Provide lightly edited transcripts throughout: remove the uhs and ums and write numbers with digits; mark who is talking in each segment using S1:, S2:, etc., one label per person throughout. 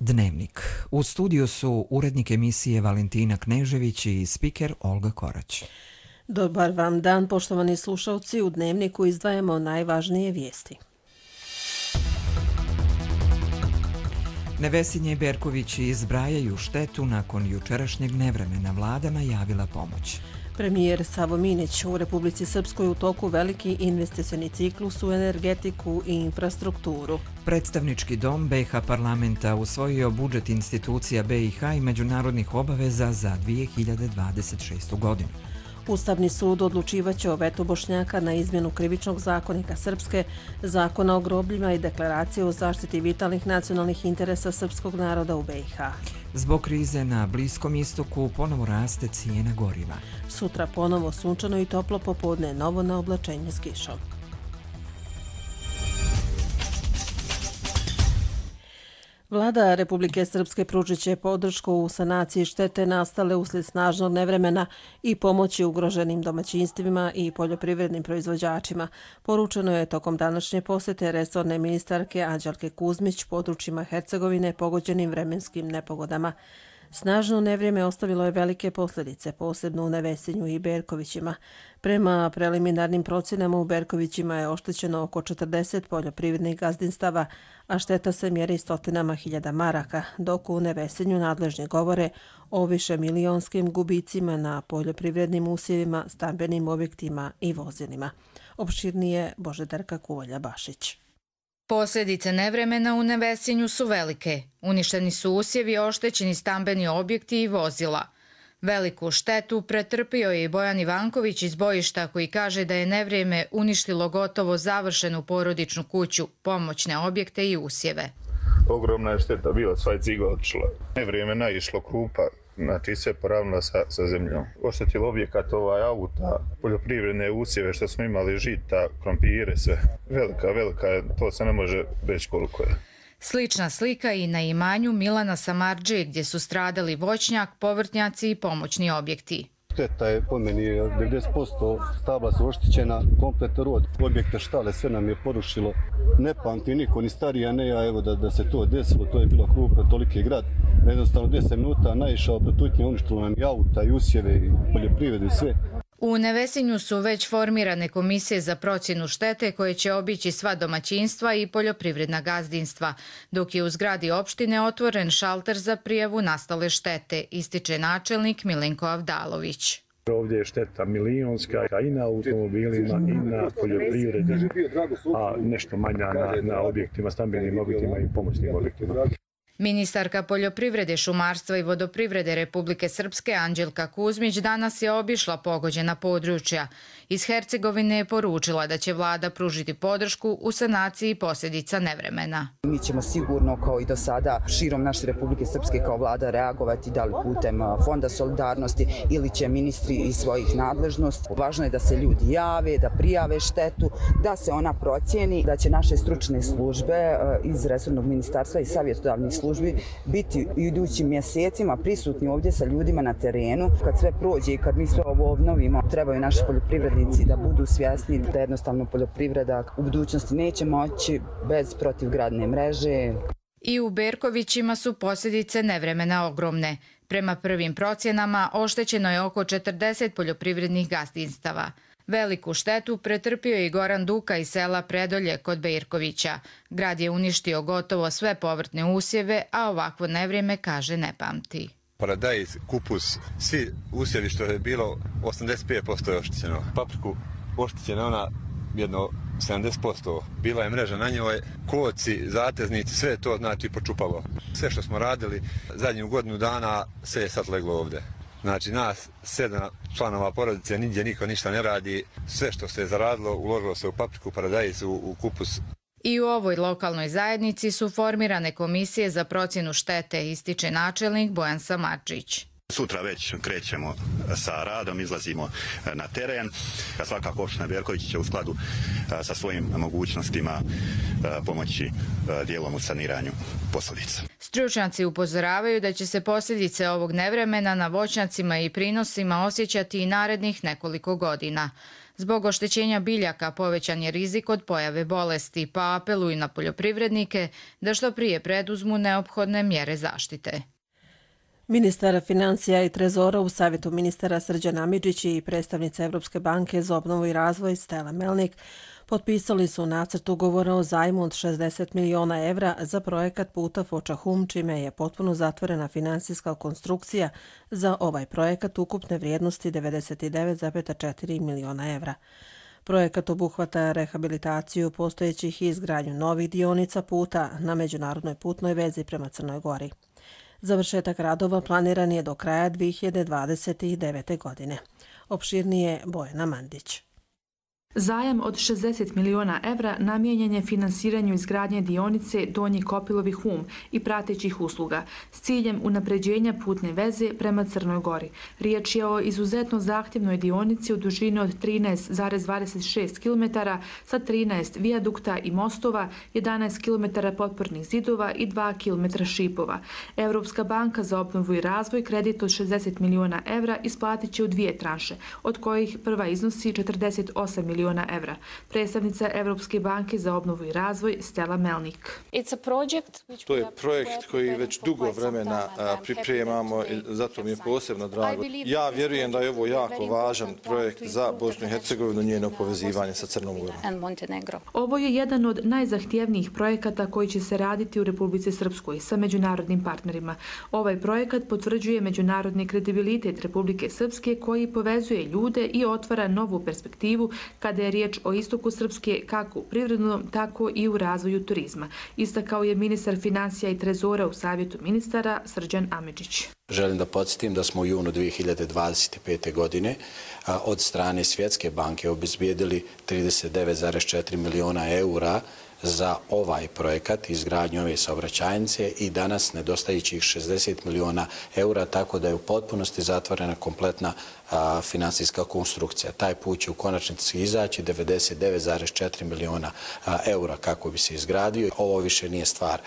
S1: Dnevnik. U studiju su urednik emisije Valentina Knežević i spiker Olga Korać.
S2: Dobar vam dan, poštovani slušalci. U Dnevniku izdvajamo najvažnije vijesti.
S1: Nevesinje i Berkovići zbrajaju štetu nakon jučerašnjeg nevremena. Vlada najavila pomoć.
S2: Premijer Savo Minić: u Republici Srpskoj u toku veliki investicioni ciklus u energetiku i infrastrukturu.
S1: Predstavnički dom BiH parlamenta usvojio budžet institucija BiH i međunarodnih obaveza za 2026. godinu.
S2: Ustavni sud odlučivaće o vetu Bošnjaka na izmjenu krivičnog zakonika Srpske, zakona o grobljima i deklaracije o zaštiti vitalnih nacionalnih interesa srpskog naroda u BiH.
S1: Zbog krize na Bliskom istoku ponovo raste cijena goriva.
S2: Sutra ponovo sunčano i toplo popodne, novo na oblačenje s kišom. Vlada Republike Srpske pružit će podršku u sanaciji štete nastale uslijed snažnog nevremena i pomoći ugroženim domaćinstvima i poljoprivrednim proizvođačima. Poručeno je tokom današnje posjete resorne ministarke Anđelke Kuzmić područjima Hercegovine pogođenim vremenskim nepogodama. Snažno nevrijeme ostavilo je velike posljedice, posebno u Nevesinju i Berkovićima. Prema preliminarnim procjenama u Berkovićima je oštećeno oko 40 poljoprivrednih gazdinstava, a šteta se mjeri stotinama hiljada maraka, dok u Nevesinju nadležni govore o višemilijonskim gubicima na poljoprivrednim usjevima, stambenim objektima i vozilima. Opširnije Božidarka Kuvalja-Bašić.
S3: Posljedice nevremena u Nevesinju su velike. Uništeni su usjevi, oštećeni stambeni objekti i vozila. Veliku štetu pretrpio je i Bojan Ivanković iz Bojišta, koji kaže da je nevrijeme uništilo gotovo završenu porodičnu kuću, pomoćne objekte i usjeve.
S4: Ogromna je šteta bila, sva je ciga otišla. Nevrijeme naišlo krupa, znači sve poravnila sa zemljom. Oštetilo objekat, auta, poljoprivredne usjeve što smo imali, žita, krompire, sve. Velika je, to se ne može reći koliko je.
S3: Slična slika i na imanju Milana Samardžije, gdje su stradali voćnjak, povrtnjaci i pomoćni objekti.
S5: Šteta je po meni 90%, stabla su oštećena, kompletan rod, objekte, štale, sve nam je porušilo. Ne pamti niko, ni starija, ne ja, evo da se to desilo, to je bilo krupno, toliki grad. Jednostavno 10 minuta naišao, protutnje, uništilo nam i auta, i usjeve, i poljoprivredu, i sve.
S3: U Nevesinju su već formirane komisije za procjenu štete koje će obići sva domaćinstva i poljoprivredna gazdinstva, dok je u zgradi opštine otvoren šalter za prijavu nastale štete, ističe načelnik Milenko Avdalović.
S6: Ovdje je šteta milionska i na automobilima i na poljoprivredi, a nešto manja na objektima, stambenim objektima i pomoćnim objektima.
S3: Ministarka poljoprivrede, šumarstva i vodoprivrede Republike Srpske Anđelka Kuzmić danas je obišla pogođena područja. Iz Hercegovine je poručila da će vlada pružiti podršku u sanaciji posljedica nevremena.
S7: Mi ćemo sigurno, kao i do sada, širom naše Republike Srpske kao vlada reagovati, da li putem Fonda solidarnosti ili će ministri iz svojih nadležnosti. Važno je da se ljudi jave, da prijave štetu, da se ona procijeni, da će naše stručne službe iz resornog ministarstva i savjetodavnih službi biti u idućim mjesecima prisutni ovdje sa ljudima na terenu. Kad sve prođe i kad mi sve ovo obnovimo, trebaju naši poljoprivrednici da budu svjesni da jednostavno poljoprivreda u budućnosti neće moći bez protivgradne mreže.
S3: I u Berkovićima su posljedice nevremena ogromne. Prema prvim procjenama oštećeno je oko 40 poljoprivrednih gazdinstava. Veliku štetu pretrpio je i Goran Duka iz sela Predolje kod Berkovića. Grad je uništio gotovo sve povrtne usjeve, a ovakvo nevrijeme, kaže, ne pamti.
S8: Paradajz, kupus, svi usjevi što je bilo, 85% je oštećeno. Papriku oštećena ona jedno 70%. Bila je mreža na njoj, koci, zateznici, sve to znači počupalo. Sve što smo radili zadnju godinu dana, sve je sad leglo ovdje. Znači nas 7 članova porodice, nigdje niko ništa ne radi. Sve što se je zaradilo, uložilo se u papriku, paradajz, u kupus.
S3: I u ovoj lokalnoj zajednici su formirane komisije za procjenu štete, ističe načelnik Bojan Samardžić.
S9: Sutra već krećemo sa radom, izlazimo na teren. Svakako opština Berković će u skladu sa svojim mogućnostima pomoći dijelom u saniranju posljedica.
S3: Stručnjaci upozoravaju da će se posljedice ovog nevremena na voćnjacima i prinosima osjećati i narednih nekoliko godina. Zbog oštećenja biljaka povećan je rizik od pojave bolesti, pa apeluju na poljoprivrednike da što prije preduzmu neophodne mjere zaštite.
S2: Ministar financija i trezora u Savjetu ministara Srđan Amidžić i predstavnica Evropske banke za obnovu i razvoj Stella Melnik potpisali su nacrt ugovora o zajmu od 60 miliona evra za projekat puta Foča-Hum, čime je potpuno zatvorena finansijska konstrukcija za ovaj projekat ukupne vrijednosti 99,4 miliona evra. Projekat obuhvata rehabilitaciju postojećih i izgradnju novih dionica puta na međunarodnoj putnoj vezi prema Crnoj Gori. Završetak radova planiran je do kraja 2029. godine. Opširnije Bojana Mandić.
S10: Zajam od 60 miliona evra namijenjen je finansiranju izgradnje dionice Donji Kopilovi-Hum i pratećih usluga s ciljem unapređenja putne veze prema Crnoj Gori. Riječ je o izuzetno zahtjevnoj dionici u dužini od 13,26 km sa 13 vijadukta i mostova, 11 km potpornih zidova i 2 km šipova. Evropska banka za obnovu i razvoj kredit od 60 miliona evra isplatit će u dvije tranše, od kojih prva iznosi 48 miliona evra. Predstavnica Evropske banke za obnovu i razvoj Stella Melnik.
S11: To je projekt koji već dugo vremena pripremamo i zato mi je posebno drago. Ja vjerujem da je ovo jako važan projekt za Bosnu i Hercegovinu, njeno povezivanje sa Crnom Gorom.
S10: Ovo je jedan od najzahtjevnijih projekata koji će se raditi u Republici Srpskoj sa međunarodnim partnerima. Ovaj projekat potvrđuje međunarodni kredibilitet Republike Srpske koji povezuje ljude i otvara novu perspektivu kada je riječ o istoku Srpske kako u privrednom, tako i u razvoju turizma. Istakao je ministar financija i trezora u Savjetu ministara Srđan Amidžić.
S12: Želim da podsjetim da smo u junu 2025. godine od strane Svjetske banke obezbijedili 39,4 miliona eura za ovaj projekat, izgradnju ove saobraćajnice i danas nedostajućih 60 miliona eura, tako da je u potpunosti zatvorena kompletna finansijska konstrukcija. Taj put će u konačnici izaći 99,4 miliona eura kako bi se izgradio. Ovo više nije stvar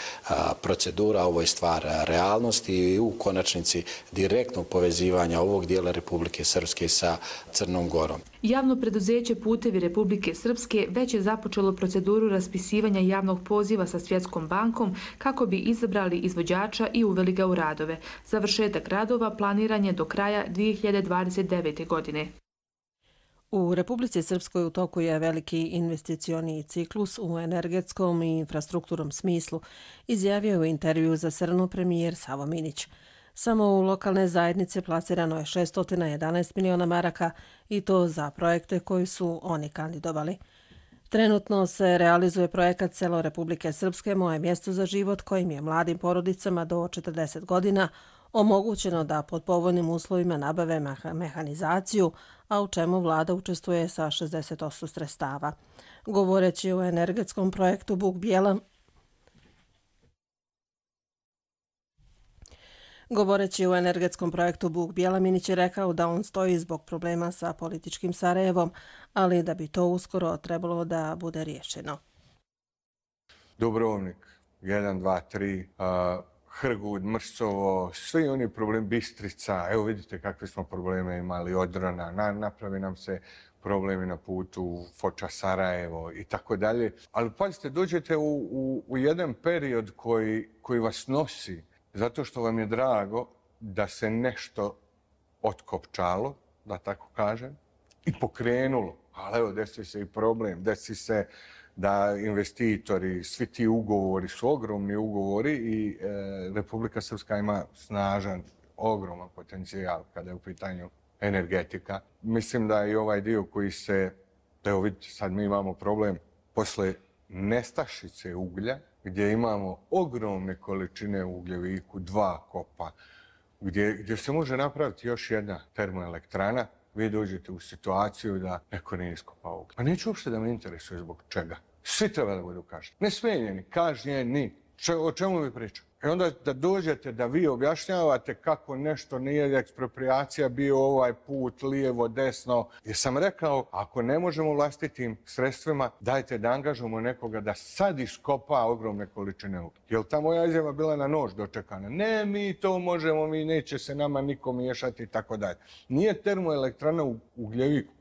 S12: procedura, ovo je stvar realnosti i u konačnici direktnog povezivanja ovog dijela Republike Srpske sa Crnom Gorom.
S10: Javno preduzeće Putevi Republike Srpske već je započelo proceduru raspisivanja javnog poziva sa Svjetskom bankom kako bi izabrali izvođača i uveli ga u radove. Završetak radova planiran je do kraja 2029. godine.
S2: U Republici Srpskoj u toku je veliki investicioni ciklus u energetskom i infrastrukturnom smislu, izjavio u intervju za Srnu premijer Savo Minić. Samo u lokalne zajednice plasirano je 611 miliona maraka i to za projekte koji su oni kandidovali. Trenutno se realizuje projekat Selo Republike Srpske Moje mjesto za život kojim je mladim porodicama do 40 godina omogućeno da pod povoljnim uslovima nabave mehanizaciju, a u čemu vlada učestvuje sa 60% sredstava. Govoreći o energetskom projektu Buk Bijela, Minić je rekao da on stoji zbog problema sa političkim Sarajevom, ali da bi to uskoro trebalo da bude riješeno.
S13: Dubrovnik, 1, 2, 3, Hrgud, Mrsovo, svi oni problemi, Bistrica, evo vidite kakve smo probleme imali, Odrana, napravi nam se problemi na putu Foča Sarajevo i tako dalje. Ali pazite, dođete u jedan period koji vas nosi zato što vam je drago da se nešto otkopčalo, da tako kažem, i pokrenulo. Ali evo, desi se i problem, desi se da investitori, svi ti ugovori su ogromni ugovori i Republika Srpska ima snažan, ogroman potencijal kada je u pitanju energetika. Mislim da i ovaj dio koji se, evo vidite, sad mi imamo problem posle nestašice uglja, gdje imamo ogromne količine u Ugljeviku, 2 kopa, gdje se može napraviti još jedna termoelektrana, vi dođete u situaciju da neko nije iskopao uglje. Pa neću uopšte da me interesuje zbog čega. Svi treba da budu kažnjeni. Ne smijenjeni, kažnjeni. O čemu mi pričam? I onda da dođete da vi objašnjavate kako nešto nije ekspropriacija bio ovaj put, lijevo, desno. Jer sam rekao, ako ne možemo vlastitim sredstvima, dajte da angažujemo nekoga da sad iskopa ogromne količine ugljena. Jer ta moja izjava bila na nož dočekana. Ne, mi to možemo, mi neće se nama niko miješati i tako dalje. Nije termoelektrana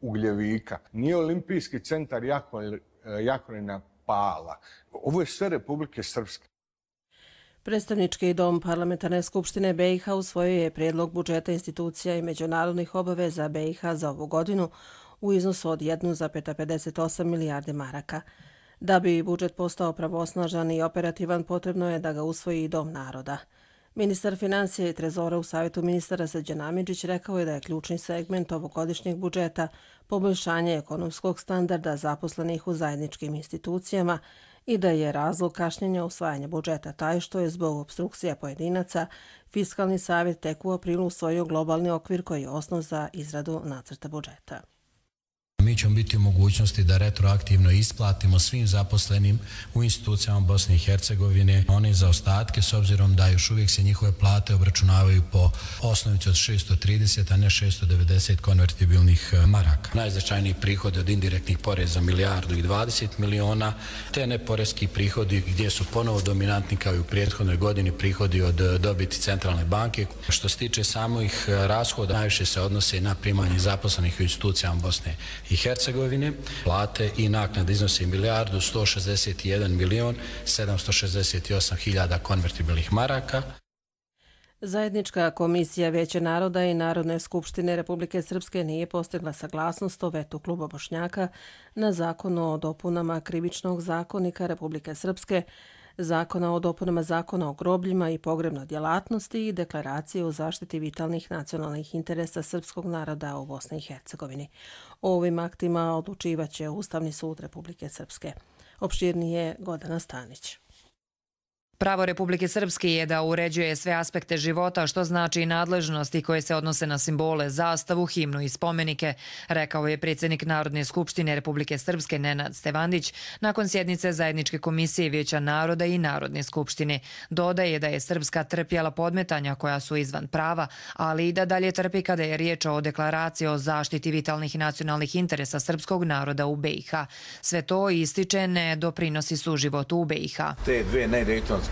S13: Ugljevika, nije olimpijski centar Jakovina Pala. Ovo je sve Republike Srpske.
S2: Predstavnički dom Parlamentarne skupštine BiH usvojio je prijedlog budžeta institucija i međunarodnih obaveza BiH za ovu godinu u iznosu od 1,58 milijarde maraka. Da bi budžet postao pravosnažan i operativan, potrebno je da ga usvoji i Dom naroda. Ministar financija i trezora u Savjetu ministara Srđan Amidžić rekao je da je ključni segment ovogodišnjeg budžeta poboljšanje ekonomskog standarda zaposlenih u zajedničkim institucijama i da je razlog kašnjenja usvajanja budžeta taj što je zbog opstrukcija pojedinaca Fiskalni savjet tek u aprilu usvojio globalni okvir koji je osnov za izradu nacrta budžeta.
S14: Mi ćemo biti u mogućnosti da retroaktivno isplatimo svim zaposlenim u institucijama Bosne i Hercegovine one zaostatke, s obzirom da još uvijek se njihove plate obračunavaju po osnovici od 630, a ne 690 konvertibilnih maraka. Najznačajniji prihod od indirektnih poreza 1,20 milijardi, te neporeski prihodi gdje su ponovo dominantni kao i u prethodnoj godini prihodi od dobiti Centralne banke. Što se tiče samih rashoda, najviše se odnose na primanje zaposlenih u institucijama Bosne i Hercegovine. Plate i naknade iznose 1.161.768.000 konvertibilnih maraka.
S2: Zajednička komisija Vijeća naroda i Narodne skupštine Republike Srpske nije postigla saglasnost o vetu Kluba Bošnjaka na zakon o dopunama Krivičnog zakonika Republike Srpske, Zakona o dopunama Zakona o grobljima i pogrebnoj djelatnosti i Deklaracije o zaštiti vitalnih nacionalnih interesa srpskog naroda u Bosni i Hercegovini. O ovim aktima odlučivaće Ustavni sud Republike Srpske. Opširnije Gordana Stanić.
S3: Pravo Republike Srpske je da uređuje sve aspekte života, što znači i nadležnosti koje se odnose na simbole, zastavu, himnu i spomenike, rekao je predsjednik Narodne skupštine Republike Srpske Nenad Stevandić nakon sjednice Zajedničke komisije Vijeća naroda i Narodne skupštine. Dodaje da je Srpska trpjela podmetanja koja su izvan prava, ali i da dalje trpi kada je riječ o deklaraciji o zaštiti vitalnih nacionalnih interesa srpskog naroda u BiH. Sve to ističe ne doprinosi suživotu u BiH.
S15: Te dve nedejtonske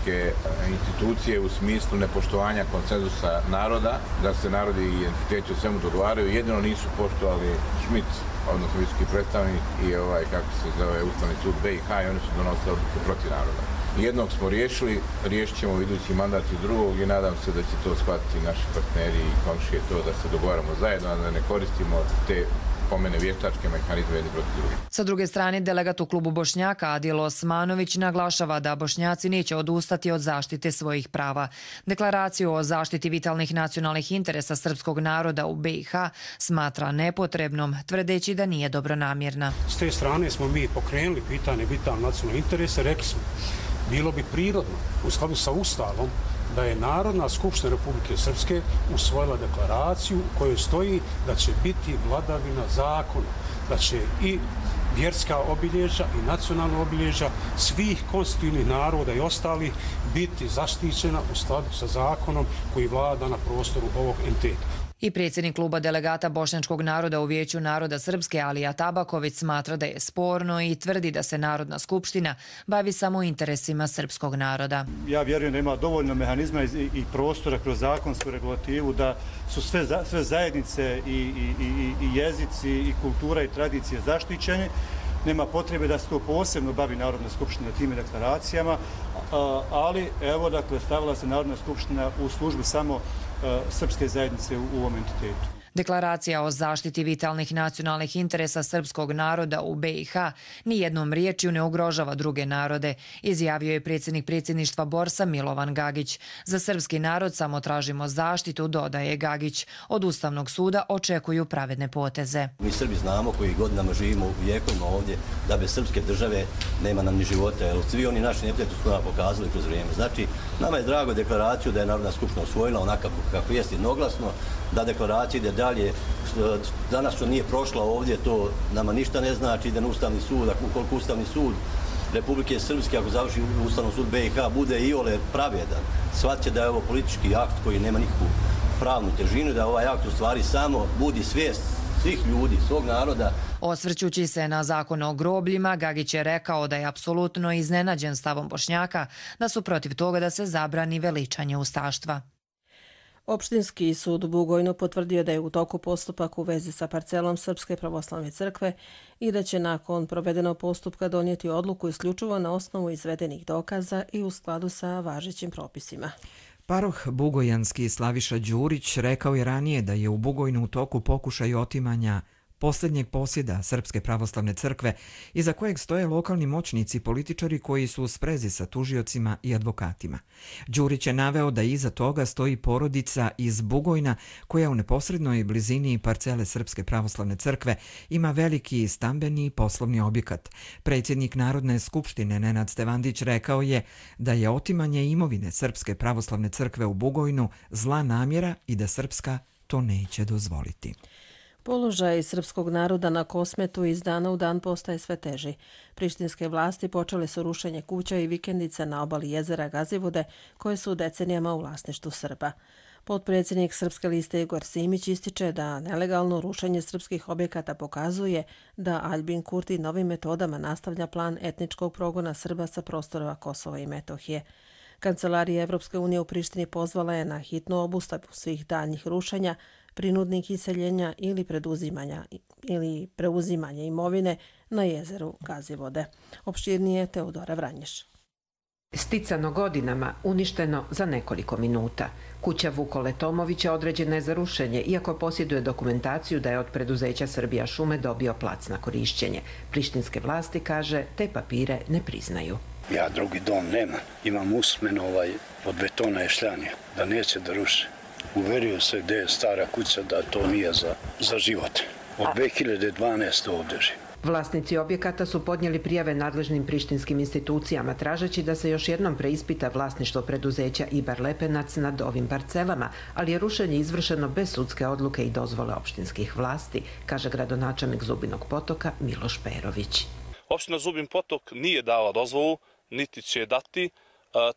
S15: institucije u smislu nepoštovanja konsenzusa naroda, da se narodi i entiteti u svemu dogovaraju, jedino nisu poštovali Schmidt, odnosno visoki predstavnik i kako se zove Ustavni sud BiH i oni su donosili odluke protiv naroda. Jednog smo riješili, riješit ćemo idući mandat i drugog i nadam se da će to shvatiti naši partneri i komšije to da se dogovaramo zajedno, da ne koristimo te pomene vještačke mehanizme jedni protiv drugih.
S3: Sa druge strane, delegat u klubu Bošnjaka Adil Osmanović naglašava da Bošnjaci neće odustati od zaštite svojih prava. Deklaraciju o zaštiti vitalnih nacionalnih interesa srpskog naroda u BiH smatra nepotrebnom, tvrdeći da nije dobronamjerna.
S16: S te strane smo mi pokrenuli pitanje vitalnih nacionalnih interesa, rekli smo, bilo bi prirodno u skladu sa Ustavom da je Narodna skupština Republike Srpske usvojila deklaraciju u kojoj stoji da će biti vladavina zakona, da će i vjerska obilježja i nacionalna obilježja svih konstitutivnih naroda i ostalih biti zaštićena u skladu sa zakonom koji vlada na prostoru ovog entiteta.
S3: I predsjednik kluba delegata bošnjačkog naroda u Vijeću naroda Srpske Alija Tabaković smatra da je sporno i tvrdi da se Narodna skupština bavi samo interesima srpskog naroda.
S17: Ja vjerujem da ima dovoljno mehanizma i prostora kroz zakonsku regulativu da su sve zajednice i jezici i kultura i tradicije zaštićene. Nema potrebe da se to posebno bavi Narodna skupština time deklaracijama, ali evo dakle stavila se Narodna skupština u službu samo srpske zajednice u ovom entitetu.
S3: Deklaracija o zaštiti vitalnih nacionalnih interesa srpskog naroda u BiH nijednom riječju ne ugrožava druge narode, izjavio je predsjednik predsjedništva Borsa Milovan Gagić. Za srpski narod samo tražimo zaštitu, dodaje Gagić. Od Ustavnog suda očekuju pravedne poteze.
S18: Mi Srbi znamo koji godinama živimo u vijekovima ovdje da bez srpske države nema nam ni života, jer svi oni naši neprijatelji su nam pokazali kroz vrijeme. Znači, nama je drago deklaraciju da je Narodna skupština usvojila onako kako jest jednoglasno, da deklaracija ide dalje. Danas što nije prošla ovdje, to nama ništa ne znači, ide na Ustavni sud, ukoliko Ustavni sud Republike Srpske, ako završi Ustavni sud BiH, bude iole pravedan, shvatit da je ovo politički akt koji nema nikakvu pravnu težinu, da ovaj akt u stvari samo budi svijest svih ljudi, svog naroda.
S19: Osvrćući se na zakon o grobljima, Gagić je rekao da je apsolutno iznenađen stavom Bošnjaka da su protiv toga da se zabrani veličanje ustaštva.
S2: Opštinski sud u Bugojnu potvrdio da je u toku postupak u vezi sa parcelom Srpske pravoslavne crkve i da će nakon provedenog postupka donijeti odluku isključivo na osnovu izvedenih dokaza i u skladu sa važećim propisima.
S1: Paroh bugojanski Slaviša Đurić rekao je ranije da je u Bugojnu u toku pokušaj otimanja posljednjeg posjeda Srpske pravoslavne crkve, iza kojeg stoje lokalni moćnici i političari koji su u sprezi sa tužiocima i advokatima. Đurić je naveo da iza toga stoji porodica iz Bugojna koja u neposrednoj blizini parcele Srpske pravoslavne crkve ima veliki stambeni i poslovni objekat. Predsjednik Narodne skupštine Nenad Stevandić rekao je da je otimanje imovine Srpske pravoslavne crkve u Bugojnu zla namjera i da Srpska to neće dozvoliti.
S2: Položaj srpskog naroda na Kosmetu iz dana u dan postaje sve teži. Prištinske vlasti počele su rušenje kuća i vikendica na obali jezera Gazivode, koje su decenijama u vlasništvu Srba. Potpredsjednik Srpske liste Igor Simić ističe da nelegalno rušenje srpskih objekata pokazuje da Aljbin Kurti novim metodama nastavlja plan etničkog progona Srba sa prostora Kosova i Metohije. Kancelarija Evropske unije u Prištini pozvala je na hitnu obustavu svih daljnjih rušenja, prinudnih iseljenja ili preuzimanja imovine na jezeru Gazivode. Opširnije Teodora Vranješ.
S20: Sticano godinama, uništeno za nekoliko minuta. Kuća Vukole Tomovića određena je za rušenje, iako posjeduje dokumentaciju da je od preduzeća Srbija šume dobio plac na korišćenje. Prištinske vlasti, kaže, te papire ne priznaju.
S21: Ja drugi dom nemam. Imam usmeno od betona je šljanje, da neće da ruše. Uverio se gdje je stara kuća da to nije za život. Od 2012. ovdje živim.
S20: Vlasnici objekata su podnijeli prijave nadležnim prištinskim institucijama tražeći da se još jednom preispita vlasništvo preduzeća Ibar Lepenac nad ovim parcelama, ali je rušenje izvršeno bez sudske odluke i dozvole opštinskih vlasti, kaže gradonačelnik Zubinog Potoka Miloš Perović.
S22: Opština Zubin Potok nije dala dozvolu, niti će dati,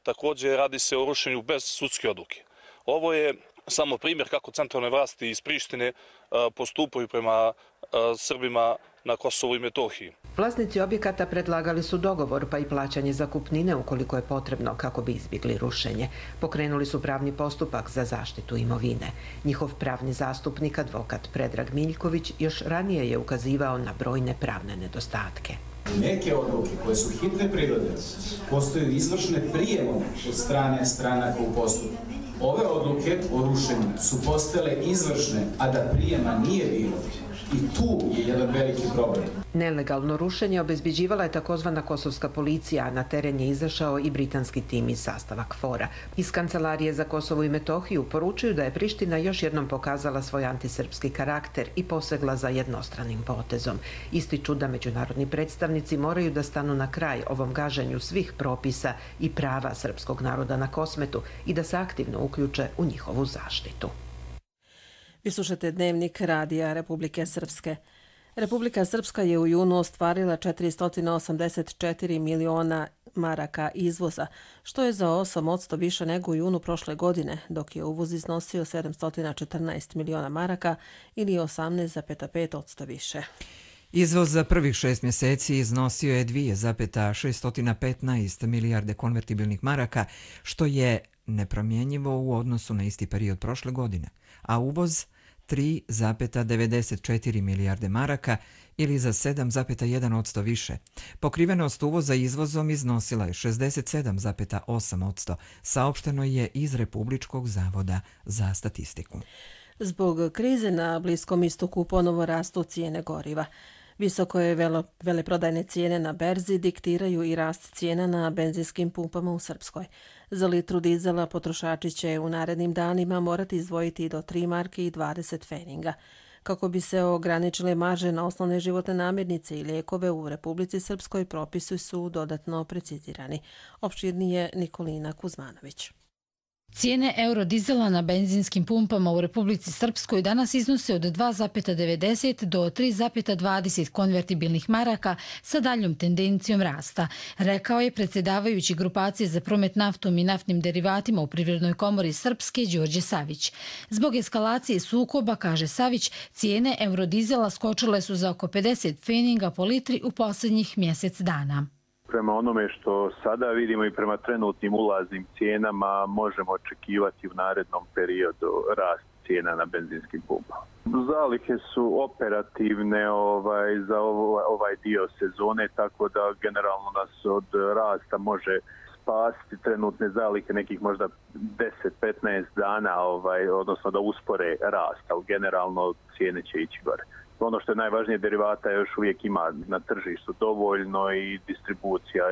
S22: također radi se o rušenju bez sudske odluke. Ovo je samo primjer kako centralne vlasti iz Prištine postupaju prema Srbima na Kosovu i Metohiji.
S20: Vlasnici objekata predlagali su dogovor pa i plaćanje zakupnine ukoliko je potrebno kako bi izbjegli rušenje. Pokrenuli su pravni postupak za zaštitu imovine. Njihov pravni zastupnik, advokat Predrag Miljković, još ranije je ukazivao na brojne pravne nedostatke.
S23: Neke odluke koje su hitne prirode postaju izvršne prijemom od strane stranaka u postupku. Ove odluke o rušenju su postale izvršne, a da prijema nije bilo. I tu je jedan veliki problem.
S20: Nelegalno rušenje obezbeđivala je takozvana kosovska policija, a na teren je izašao i britanski tim iz sastava KFOR-a. Iz Kancelarije za Kosovo i Metohiju poručuju da je Priština još jednom pokazala svoj antisrpski karakter i posegla za jednostranim potezom. Ističu da međunarodni predstavnici moraju da stanu na kraj ovom gaženju svih propisa i prava srpskog naroda na Kosmetu i da se aktivno uključe u njihovu zaštitu.
S2: Vi slušate Dnevnik Radija Republike Srpske. Republika Srpska je u junu ostvarila 484 miliona maraka izvoza, što je za 8% više nego u junu prošle godine, dok je uvoz iznosio 714 miliona maraka ili 18,5% više.
S1: Izvoz za prvih 6 mjeseci iznosio je 2,615 milijarde konvertibilnih maraka, što je nepromjenjivo u odnosu na isti period prošle godine, a uvoz 3,94 milijarde maraka ili za 7,1% više. Pokrivenost uvoza izvozom iznosila je 67,8%, saopšteno je iz Republičkog zavoda za statistiku.
S2: Zbog krize na Bliskom istoku ponovo rastu cijene goriva. Visoko je veleprodajne cijene na berzi diktiraju i rast cijena na benzinskim pumpama u Srpskoj. Za litru dizela potrošači će u narednim danima morati izdvojiti do 3 marke i 20 pfeninga. Kako bi se ograničile marže na osnovne životne namirnice i lijekove u Republici Srpskoj, propisi su dodatno precizirani. Opširnije Nikolina Kuzmanović.
S4: Cijene eurodizela na benzinskim pumpama u Republici Srpskoj danas iznose od 2,90 do 3,20 konvertibilnih maraka sa daljom tendencijom rasta, rekao je predsjedavajući grupacije za promet naftom i naftnim derivatima u Privrednoj komori Srpske Đorđe Savić. Zbog eskalacije sukoba, kaže Savić, cijene eurodizela skočile su za oko 50 pfeninga po litri u posljednjih mjesec dana.
S5: Prema onome što sada vidimo i prema trenutnim ulaznim cijenama možemo očekivati u narednom periodu rast cijena na benzinskim pumpama. Zalihe su operativne za ovaj dio sezone, tako da generalno nas od rasta može spasiti trenutne zalihe nekih možda 10-15 dana, odnosno da uspore rast, ali generalno cijene će ići gore. Ono što je najvažnije, derivata još uvijek ima na tržištu dovoljno i distribucija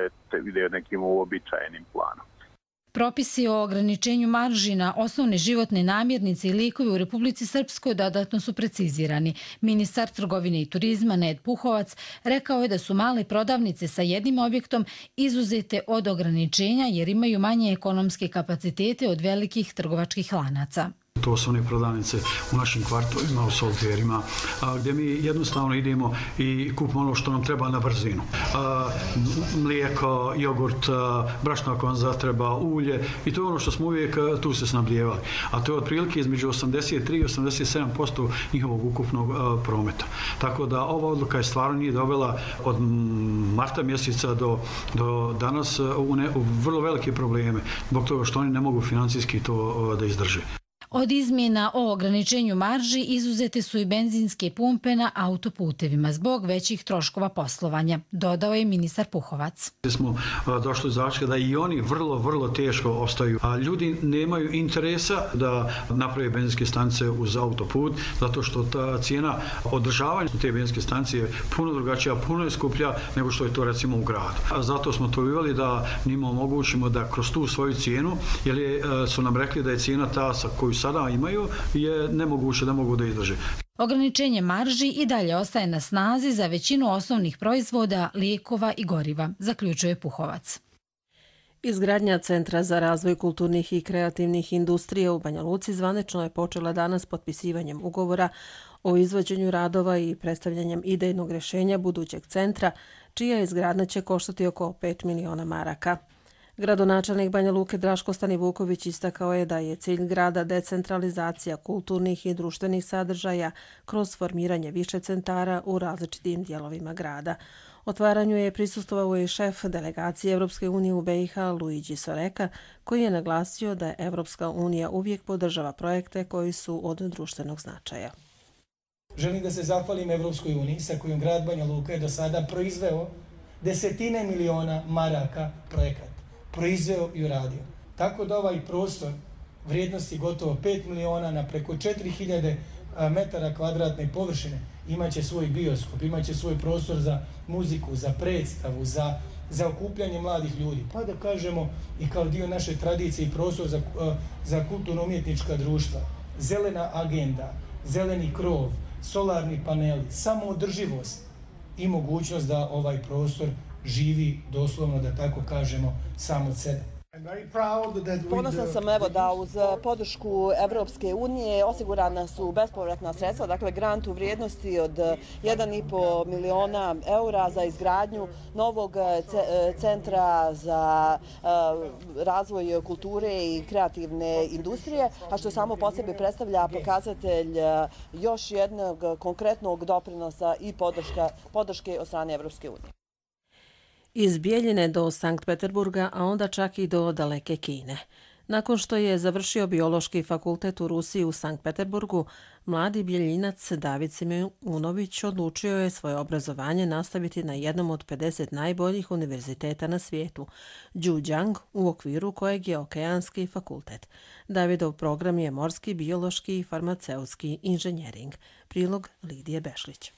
S5: ide nekim uobičajenim planom.
S4: Propisi o ograničenju marži na osnovne životne namirnice i lijekove u Republici Srpskoj dodatno su precizirani. Ministar trgovine i turizma Ned Puhovac rekao je da su male prodavnice sa jednim objektom izuzete od ograničenja jer imaju manje ekonomske kapacitete od velikih trgovačkih lanaca.
S6: To su one prodavnice u našim kvartovima, u solterima, gdje mi jednostavno idemo i kupimo ono što nam treba na brzinu. Mlijeko, jogurt, brašno ako vam zatreba, ulje i to je ono što smo uvijek tu se snabdijevali. A to je otprilike između 83 i 87% njihovog ukupnog prometa. Tako da ova odluka je stvarno nije dovela od marta mjeseca do danas u vrlo velike probleme, zbog toga što oni ne mogu financijski to da izdrže.
S4: Od izmjena o ograničenju marži izuzete su i benzinske pumpe na autoputevima zbog većih troškova poslovanja, dodao je ministar Puhovac.
S6: Smo došli do zaključka da i oni vrlo teško ostaju. A ljudi nemaju interesa da naprave benzinske stanice uz autoput, zato što ta cijena održavanja te benzinske stanice je puno drugačija, puno je skuplja nego što je to recimo u gradu. A zato smo to uveli da njima omogućimo da kroz tu svoju cijenu, jer su nam rekli da je cijena ta sa koju sada imaju je nemoguće da mogu da izdrže.
S4: Ograničenje marži i dalje ostaje na snazi za većinu osnovnih proizvoda, lijekova i goriva, zaključuje Puhovac.
S2: Izgradnja Centra za razvoj kulturnih i kreativnih industrija u Banja Luci zvanično je počela danas potpisivanjem ugovora o izvođenju radova i predstavljanjem idejnog rješenja budućeg centra, čija izgradnja će koštati oko 5 miliona maraka. Gradonačelnik Banja Luke Draško Stanivuković istakao je da je cilj grada decentralizacija kulturnih i društvenih sadržaja kroz formiranje više centara u različitim dijelovima grada. Otvaranju je prisustvovao i šef delegacije Evropske unije u BiH Luigi Soreka, koji je naglasio da Evropska unija uvijek podržava projekte koji su od društvenog značaja.
S24: Želim da se zahvalim Evropskoj uniji sa kojom grad Banja Luka je do sada proizveo desetine miliona maraka projekata. Proizveo i uradio. Tako da ovaj prostor vrijednosti gotovo 5 miliona na preko 4000 metara kvadratne površine imaće svoj bioskop, imaće svoj prostor za muziku, za predstavu, za okupljanje mladih ljudi. Pa da kažemo i kao dio naše tradicije i prostor za kulturno-umjetnička društva. Zelena agenda, zeleni krov, solarni paneli, samoodrživost i mogućnost da ovaj prostor živi doslovno, da tako kažemo, sam od sebe.
S25: Ponosan sam da uz podršku Evropske unije osigurana su bespovratna sredstva, dakle grant u vrijednosti od 1,5 miliona eura za izgradnju novog centra za razvoj kulture i kreativne industrije, a što samo po sebi predstavlja pokazatelj još jednog konkretnog doprinosa i podrške od strane Evropske unije.
S2: Iz Bijeljine do Sankt Peterburga, a onda čak i do daleke Kine. Nakon što je završio biološki fakultet u Rusiji u Sankt Peterburgu, mladi Bijeljinac David Simunović odlučio je svoje obrazovanje nastaviti na jednom od 50 najboljih univerziteta na svijetu, Zhejiang, u okviru kojeg je Okeanski fakultet. Davidov program je morski, biološki i farmaceutski inženjering. Prilog Lidije Bešlić.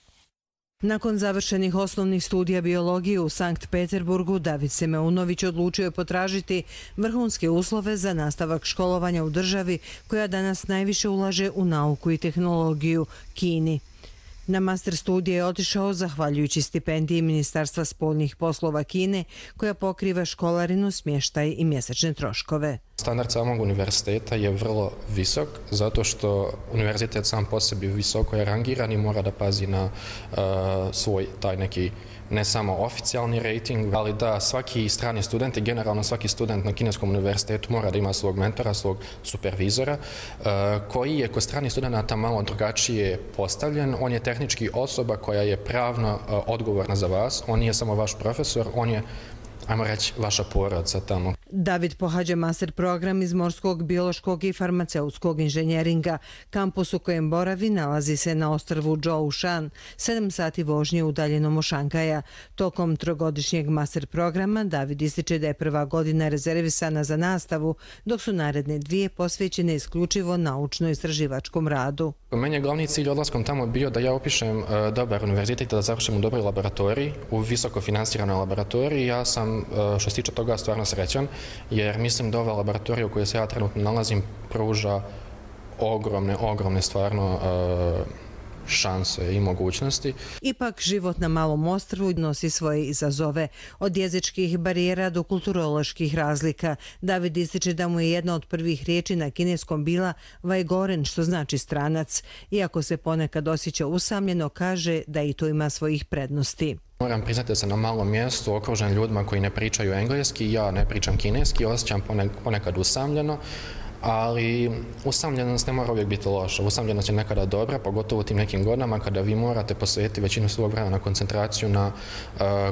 S26: Nakon završenih osnovnih studija biologije u Sankt Peterburgu, David Simunović odlučio je potražiti vrhunske uslove za nastavak školovanja u državi koja danas najviše ulaže u nauku i tehnologiju, Kini. Na master studije je otišao zahvaljujući stipendiji Ministarstva spoljnih poslova Kine, koja pokriva školarinu, smještaj i mjesečne troškove.
S7: Standard samog univerziteta je vrlo visok, zato što univerzitet sam po sebi visoko je rangiran i mora da pazi na svoj taj neki ne samo oficijalni rating, ali da svaki strani student i generalno svaki student na kineskom univerzitetu mora da ima svog mentora, svog supervizora, koji je kod stranih studenta malo drugačije postavljen. On je tehnički osoba koja je pravno odgovorna za vas, on nije samo vaš profesor, on je, ajmo reći, vaša porodica tamo.
S26: David pohađa master program iz morskog, biološkog i farmaceutskog inženjeringa. Kampus u kojem boravi nalazi se na ostrvu Zhoushan, 7 sati vožnje udaljenom od Šangaja. Tokom trogodišnjeg master programa David ističe da je prva godina rezervisana za nastavu, dok su naredne 2 posvećene isključivo naučno-istraživačkom radu.
S7: Meni je glavni cilj odlaskom tamo bio da ja upišem dobar univerzitet, da završim u dobroj laboratoriji, u visoko finansiranoj laboratoriji. Ja sam, što se tiče toga, stvarno srećan, jer mislim da ova laboratorija u kojoj se ja trenutno nalazim pruža ogromne stvarno šanse i mogućnosti.
S26: Ipak, život na malom ostrvu nosi svoje izazove. Od jezičkih barijera do kulturoloških razlika. David ističe da mu je jedna od prvih riječi na kineskom bila vajgoren, što znači stranac. Iako se ponekad osjeća usamljeno, kaže da i to ima svojih prednosti.
S7: Moram priznati da sam na malom mjestu okružen ljudima koji ne pričaju engleski, ja ne pričam kineski, osjećam ponekad usamljeno, ali usamljenost ne mora uvijek biti loša. Usamljenost je nekada dobra, pogotovo u tim nekim godinama kada vi morate posvetiti većinu svog vremena koncentraciju na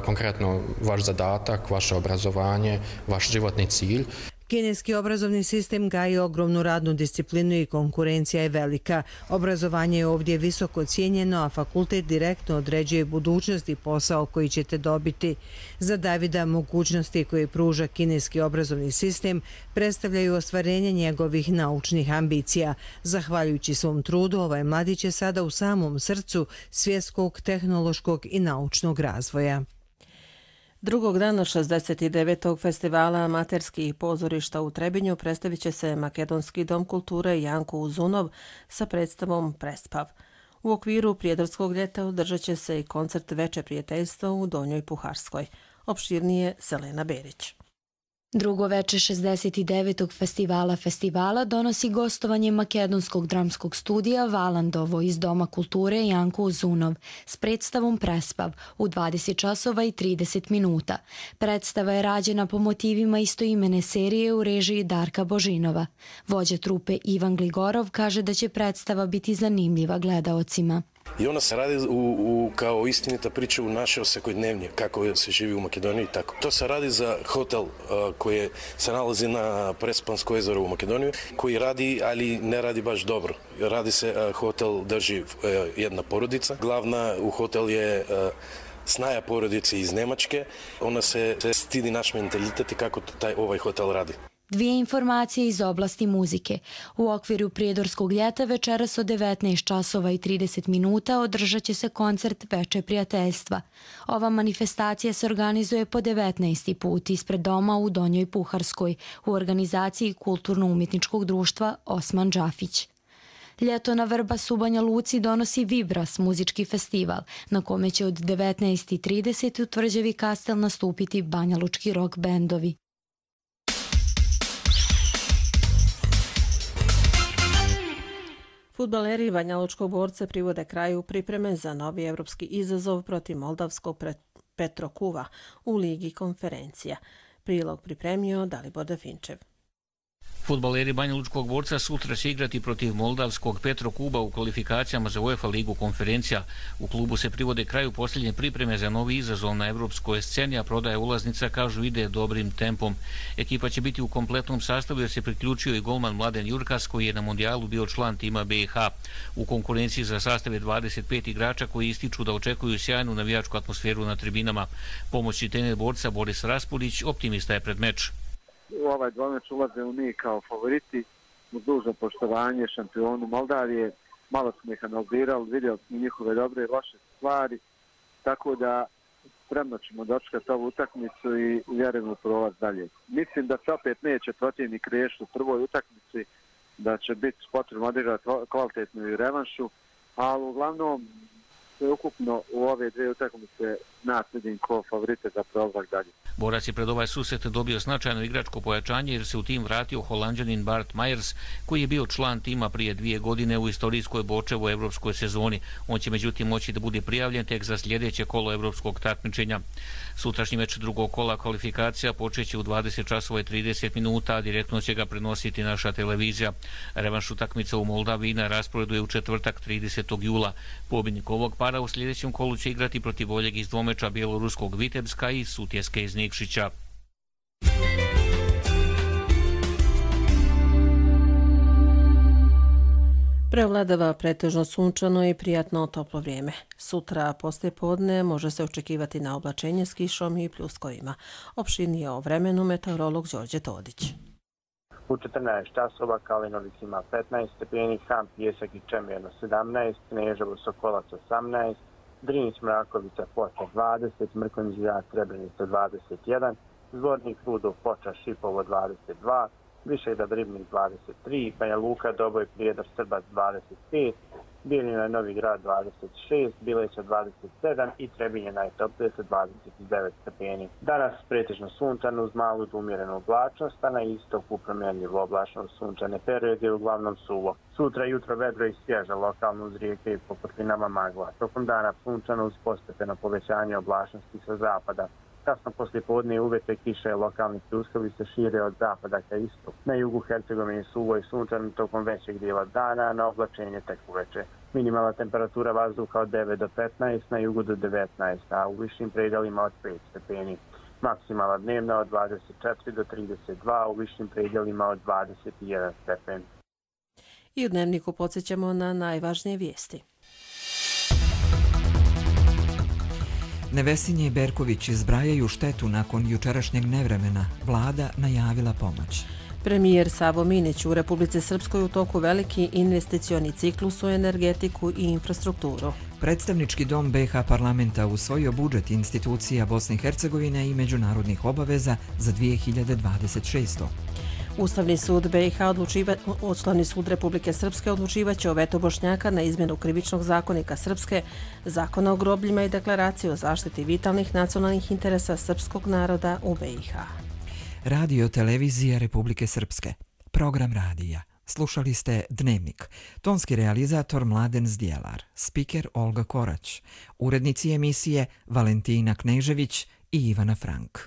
S7: konkretno vaš zadatak, vaše obrazovanje, vaš životni cilj.
S26: Kineski obrazovni sistem gaji ogromnu radnu disciplinu i konkurencija je velika. Obrazovanje je ovdje visoko cijenjeno, a fakultet direktno određuje budućnost i posao koji ćete dobiti. Za Davida mogućnosti koje pruža kineski obrazovni sistem predstavljaju ostvarenje njegovih naučnih ambicija. Zahvaljujući svom trudu, ovaj mladić je sada u samom srcu svjetskog, tehnološkog i naučnog razvoja.
S2: Drugog dana 69. festivala amaterskih pozorišta u Trebinju predstavit će se Makedonski dom kulture Janko Uzunov sa predstavom Prespav. U okviru Prijedorskog ljeta održat će se i koncert Veče prijateljstva u Donjoj Puharskoj. Opširnije Selena Berić.
S8: Drugo veče 69. festivala donosi gostovanje makedonskog dramskog studija Valandovo iz Doma kulture Janko Uzunov s predstavom Prespav u 20 časova i 30 minuta. Predstava je rađena po motivima istoimene serije u režiji Darka Božinova. Vođa trupe Ivan Gligorov kaže da će predstava biti zanimljiva gledaocima.
S9: I ona se radi kao istinita priča u naše svakodnevnje, kako se živi u Makedoniji. Tako. To se radi za hotel koji se nalazi na Prespansko jezero u Makedoniji, koji radi, ali ne radi baš dobro. Radi se, hotel drži jedna porodica. Glavna u hotel je snaja porodice iz Nemačke. Ona se stidi naš mentalitet i kako ovaj hotel radi.
S8: Dvije informacije iz oblasti muzike. U okviru Prijedorskog ljeta večeras od 19 časova i 30 minuta održat će se koncert Veče prijateljstva. Ova manifestacija se organizuje po 19. put ispred doma u Donjoj Puharskoj u organizaciji Kulturno-umjetničkog društva Osman Džafić. Ljeto na Vrbasu u Banja Luci donosi Vibras, muzički festival, na kome će od 19.30 u Tvrđavi Kastel nastupiti banjalučki rock bendovi.
S2: Fudbaleri Banjalučkog Borca privode kraju pripreme za novi evropski izazov protiv moldavskog Petrokuva u Ligi konferencija. Prilog pripremio Dalibor Dafinčev.
S10: Fudbaleri Banjalučkog Borca sutra će igrati protiv moldavskog Petrokuba u kvalifikacijama za UEFA ligu konferencija. U klubu se privode kraju posljednje pripreme za novi izazov na evropskoj sceni, a prodaja ulaznica, kažu, ide dobrim tempom. Ekipa će biti u kompletnom sastavu jer se priključio i golman Mladen Jurkas koji je na mondijalu bio član tima BiH. U konkurenciji za sastav je 25 igrača koji ističu da očekuju sjajnu navijačku atmosferu na tribinama. Pomoćni trener Borca Boris Raspudić optimista je pred meč.
S11: U ovaj dvomeč ulazimo mi kao favoriti uz dužno poštovanje šampionu Moldavije. Malo smo ih analizirali, vidjeli smo njihove dobre i loše stvari, tako da spremno ćemo dočekati ovu utakmicu i vjerujemo prolaz dalje. Mislim da se opet neće protivnik riješiti u prvoj utakmici, da će biti potrebno odigrati kvalitetnu i revanšu, ali uglavnom sve ukupno u ove dvije utakmice vidim ko favorite za prolazak dalje.
S10: Borac je pred ovaj susret dobio značajno igračko pojačanje jer se u tim vratio Holanđanin Bart Myers, koji je bio član tima prije 2 godine u istorijskoj Bočevoj evropskoj sezoni. On će međutim moći da bude prijavljen tek za sljedeće kolo evropskog takmičenja. Sutrašnji meč drugog kola kvalifikacija počeće u 20:30 minuta, a direktno će ga prenositi naša televizija. Revanš utakmica u Moldaviji na rasporedu je u četvrtak 30. jula. Pobjednik ovog para u sljedećem kolu će igrati protiv boljeg iz dvomeča bjeloruskog Vitebska i Sutjeske iz Nikšića.
S2: Prevladava pretežno sunčano i prijatno toplo vrijeme. Sutra poslijepodne može se očekivati na oblačenje s kišom i pljuskovima. Opširnije o vremenu meteorolog Đorđe Todić.
S12: U 14 časova Kalinović ima 15 stepeni, Ham, Pijesak i Čemerno 17, Kneževo, Sokolac 18, Drinić, Mrakovica, Foča 20, Mrkonjić, Grad, Srebrenica 21, Zvornik, Rudov, Foča, Šipovo 22, Višegrad, Ribnik 23, Banja Luka, Doboj, Prijedor, Srbac 25, Bijeljina, Novi Grad 26, Bileća 27 i Trebinje najtoplije sa 29 stepeni. Danas pretežno sunčano uz malu do umjerenu oblačnost, a na istoku promjenljivo oblačno sunčane periode uglavnom suvo. Sutra jutro vedro i svježa, lokalno uz rijeke i po putlinama magla. Tokom dana sunčano uz postepeno povećanje oblačnosti sa zapada. Kasno poslijepodne uvete kiše i lokalni pljuskovi se šire od zapada ka istoku. Na jugu Hercegovine suvo i sunčano tokom većeg dijela dana, na oblačenje tek uveče. Minimalna temperatura vazduha od 9 do 15, na jugu do 19, a u višim predjelima od 5 stepeni. Maksimala dnevna od 24 do 32, u višim predjelima od 21 stepen.
S2: I u dnevniku podsjećamo na najvažnije vijesti.
S1: Nevesinje i Berković zbrajaju štetu nakon jučerašnjeg nevremena. Vlada najavila pomoć.
S2: Premijer Savo Minić u Republici Srpskoj u toku veliki investicioni ciklus u energetiku i infrastrukturu.
S1: Predstavnički dom BiH parlamenta usvojio budžet institucija Bosne i Hercegovine i međunarodnih obaveza za 2026.
S2: Ustavni sud BiH Ustavni sud Republike Srpske odlučivaće o vetu Bošnjaka na izmjenu krivičnog zakonika Srpske, zakona o grobljima i deklaraciju o zaštiti vitalnih nacionalnih interesa srpskog naroda u BiH.
S1: Radio televizija Republike Srpske. Program radija. Slušali ste Dnevnik. Tonski realizator Mladen Zdjelar. Spiker Olga Korać. Urednici emisije Valentina Knežević i Ivana Frank.